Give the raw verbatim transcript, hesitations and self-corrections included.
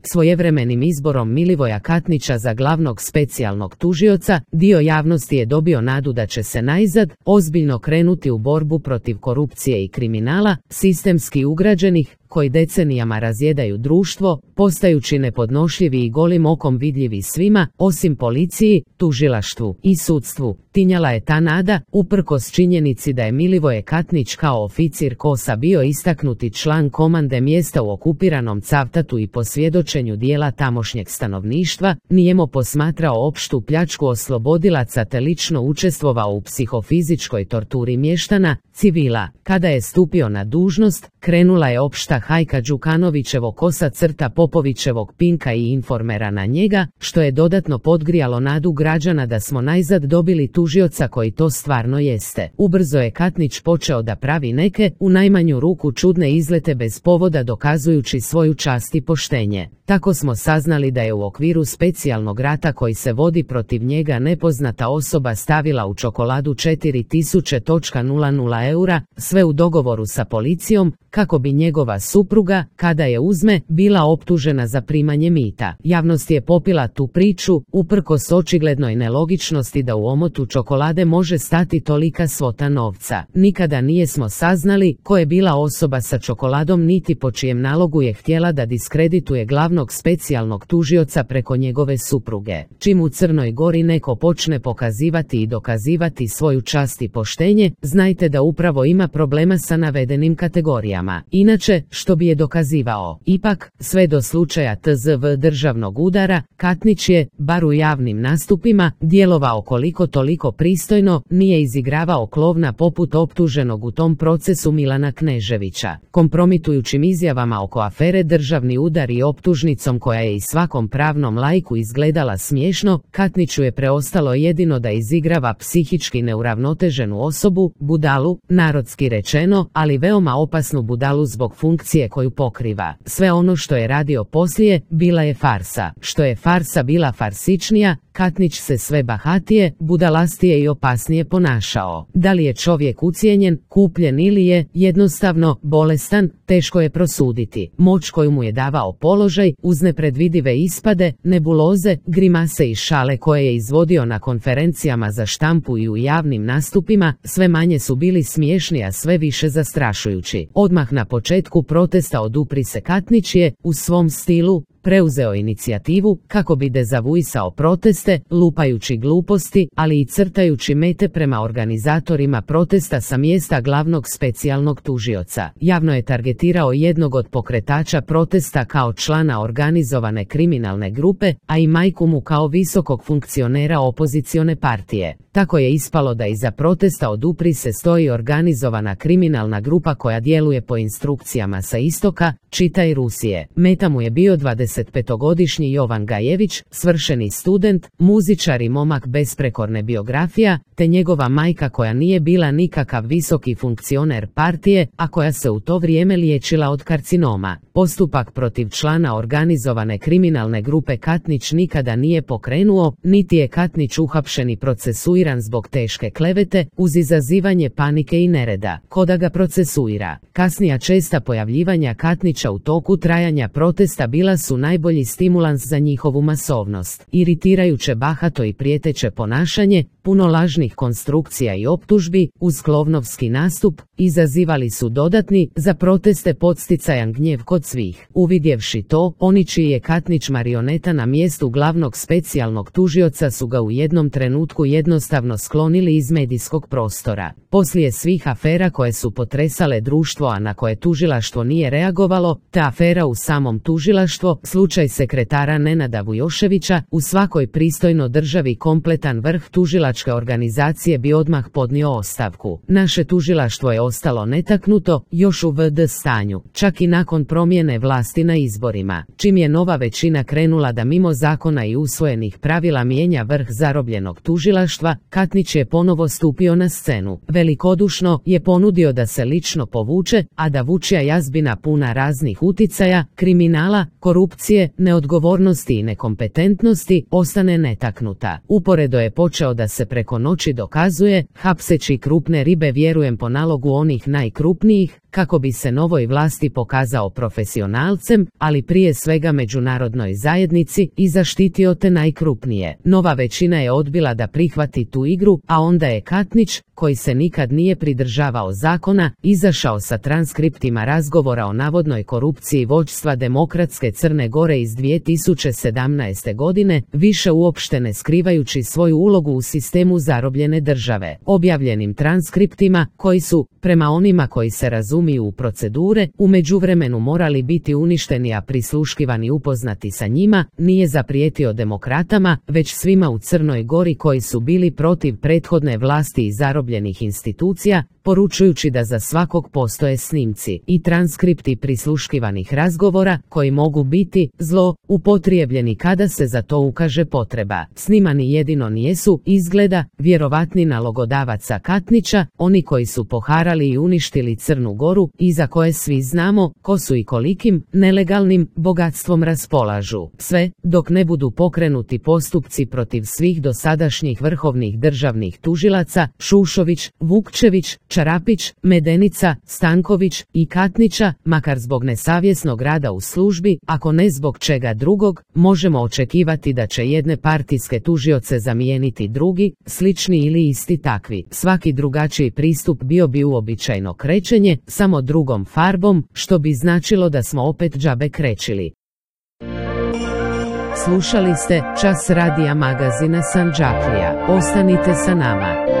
Svojevremenim izborom Milivoja Katnića za glavnog specijalnog tužioca, dio javnosti je dobio nadu da će se najzad ozbiljno krenuti u borbu protiv korupcije i kriminala, sistemski ugrađenih, koji decenijama razjedaju društvo, postajući nepodnošljivi i golim okom vidljivi svima, osim policiji, tužilaštvu i sudstvu. Tinjala je ta nada, uprkos činjenici da je Milivoje Katnić kao oficir KOS-a bio istaknuti član komande mjesta u okupiranom Cavtatu i po svjedočenju dijela tamošnjeg stanovništva, nijemo posmatrao opštu pljačku oslobodilaca te lično učestvovao u psihofizičkoj torturi mještana, civila. Kada je stupio na dužnost, krenula je opšta hajka Đukanovićevog KOS-a crta Popovićevog Pinka i Informera na njega, što je dodatno podgrijalo nadu građana da smo najzad dobili tužioca koji to stvarno jeste. Ubrzo je Katnić počeo da pravi neke, u najmanju ruku čudne izlete bez povoda dokazujući svoju čast i poštenje. Tako smo saznali da je u okviru specijalnog rata koji se vodi protiv njega nepoznata osoba stavila u čokoladu četiri tisuće nula eura, sve u dogovoru sa policijom, kako bi njegova supruga, kada je uzme, bila optužena za primanje mita. Javnost je popila tu priču, uprkos očiglednoj nelogičnosti da u omotu čokolade može stati tolika svota novca. Nikada nijesmo saznali ko je bila osoba sa čokoladom niti po čijem nalogu je htjela da diskredituje glavnog specijalnog tužioca preko njegove supruge. Čim u Crnoj Gori neko počne pokazivati i dokazivati svoju čast i poštenje, znajte da upravo ima problema sa navedenim kategorijama. Inače, što bi je dokazivao? Ipak, sve do slučaja T Z V državnog udara, Katnić je, bar u javnim nastupima, djelovao koliko toliko pristojno, nije izigravao klovna poput optuženog u tom procesu Milana Kneževića. Kompromitujućim izjavama oko afere državni udar i optužnicom koja je i svakom pravnom laiku izgledala smiješno, Katniću je preostalo jedino da izigrava psihički neuravnoteženu osobu, budalu, narodski rečeno, ali veoma opasnu budalu zbog funkcije koju pokriva. Sve ono što je radio poslije, bila je farsa. Što je farsa bila farsičnija, Katnić se sve bahatije, budalastije i opasnije ponašao. Da li je čovjek ucijenjen, kupljen ili je, jednostavno, bolestan, teško je prosuditi. Moć koju mu je davao položaj, uz nepredvidive ispade, nebuloze, grimase i šale koje je izvodio na konferencijama za štampu i u javnim nastupima, sve manje su bili smiješni, a sve više zastrašujući. Odmah na početku protesta Odupri se Katnić je, u svom stilu, preuzeo inicijativu kako bi dezavuisao proteste, lupajući gluposti, ali i crtajući mete prema organizatorima protesta sa mjesta glavnog specijalnog tužioca. Javno je targetirao jednog od pokretača protesta kao člana organizovane kriminalne grupe, a i majku mu kao visokog funkcionera opozicione partije. Tako je ispalo da iza protesta Odupri se stoji organizovana kriminalna grupa koja djeluje po instrukcijama sa istoka, čitaj Rusije. Meta mu je bio dvadesetpetogodišnji Jovan Gajević, svršeni student, muzičar i momak bez prekorne biografija, te njegova majka koja nije bila nikakav visoki funkcioner partije, a koja se u to vrijeme liječila od karcinoma. Postupak protiv člana organizovane kriminalne grupe Katnić nikada nije pokrenuo, niti je Katnić uhapšen i procesuiran zbog teške klevete, uz izazivanje panike i nereda. Ko da ga procesuira? Kasnija česta pojavljivanja Katnića u toku trajanja protesta bila su najbolji stimulans za njihovu masovnost. Iritirajuće bahato i prijeteće ponašanje, puno lažnih konstrukcija i optužbi, uz klovnovski nastup, izazivali su dodatni, za proteste podsticajan gnjev kod svih. Uvidjevši to, oni čiji je Katnić marioneta na mjestu glavnog specijalnog tužioca su ga u jednom trenutku jednostavno sklonili iz medijskog prostora. Poslije svih afera koje su potresale društvo, a na koje tužilaštvo nije reagovalo, ta afera u samom tužilaštvo, slučaj sekretara Nenada Vujoševića, u svakoj pristojno državi kompletan vrh tužilačke organizacije bi odmah podnio ostavku. Naše tužilaštvo je ostalo netaknuto, još u V D stanju, čak i nakon promjene vlasti na izborima. Čim je nova većina krenula da mimo zakona i usvojenih pravila mijenja vrh zarobljenog tužilaštva, Katnić je ponovo stupio na scenu. Velikodušno je ponudio da se lično povuče, a da vučja jazbina puna raznih uticaja, kriminala, korupcije, neodgovornosti i nekompetentnosti ostane netaknuta. Uporedo je počeo da se preko noći dokazuje, hapseći krupne ribe vjerujem po nalogu onih najkrupnijih, kako bi se novoj vlasti pokazao profesionalcem, ali prije svega međunarodnoj zajednici, i zaštitio te najkrupnije. Nova većina je odbila da prihvati tu igru, a onda je Katnić, koji se nikad nije pridržavao zakona, izašao sa transkriptima razgovora o navodnoj korupciji vođstva Demokratske Crne Gore iz dvije tisuće sedamnaeste. godine, više uopšte ne skrivajući svoju ulogu u sistemu zarobljene države. Objavljenim transkriptima, koji su, prema onima koji se razumiju u procedure, u međuvremenu morali biti uništeni a prisluškivani upoznati sa njima, nije zaprijetio demokratama, već svima u Crnoj Gori koji su bili protiv prethodne vlasti i zarobljenih institucija, poručujući da za svakog postoje snimci i transkripti prisluškivanih razgovora koji mogu biti zlo upotrijebljeni kada se za to ukaže potreba. Snimani jedino nijesu, izgleda, vjerovatni nalogodavaca Katnića, oni koji su poharali i uništili Crnu Goru i za koje svi znamo ko su i kolikim nelegalnim bogatstvom raspolažu. Sve dok ne budu pokrenuti postupci protiv svih dosadašnjih vrhovnih državnih tužilaca Šušović, Vukčević, Čarapić, Medenica, Stanković i Katnića, makar zbog nesavjesnog rada u službi, ako ne zbog čega drugog, možemo očekivati da će jedne partijske tužioce zamijeniti drugi, slični ili isti takvi. Svaki drugačiji pristup bio bi uobičajeno krećenje, samo drugom farbom, što bi značilo da smo opet džabe krećili. Slušali ste Čas radija magazina Sandžaklija. Ostanite sa nama.